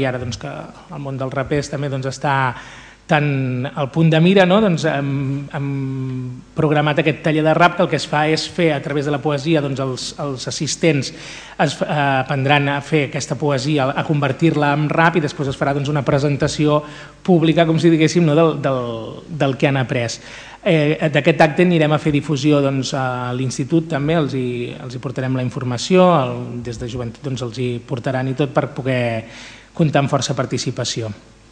I ara que el món dels rapers també està tan al punt de mira, hem programat aquest taller de rap que el que es fa és fer a través de la poesia, els assistents aprendran a fer aquesta poesia, a convertir-la en rap i després es farà una presentació pública, com si diguéssim, del que han après. D'aquest acte anirem a fer difusió a l'institut també, els hi portarem la informació, des de joventut els hi portaran i tot per poder comptar amb força participació.